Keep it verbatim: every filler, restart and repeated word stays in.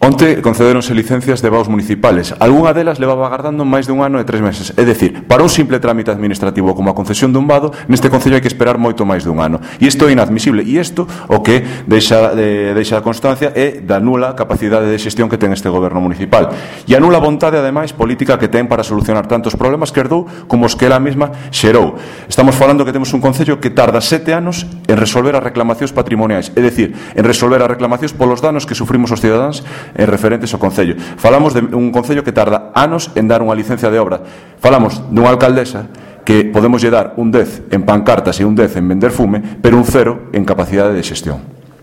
Onte concederonse licencias de vaos municipales. Algúna delas levaba agardando máis de un ano e tres meses. É dicir, para un simple trámite administrativo como a concesión dun vado, neste concello hai que esperar moito máis dun ano. E isto é inadmisible. E isto o que deixa, de, deixa a constancia é da nula capacidade de xestión que ten este goberno municipal. E a nula vontade, ademais, política que ten para solucionar tantos problemas que herdou como os que ela mesma xerou. Estamos falando que temos un concello que tarda sete anos en resolver as reclamacións patrimoniais. É dicir, en resolver as reclamacións polos danos que sufrimos os cidadáns en referentes ao concello. Falamos de un concello que tarda anos en dar unha licencia de obra. Falamos dunha alcaldesa que podemos lle dar un dez en pancartas e un dez en vender fume, pero un cero en capacidade de xestión.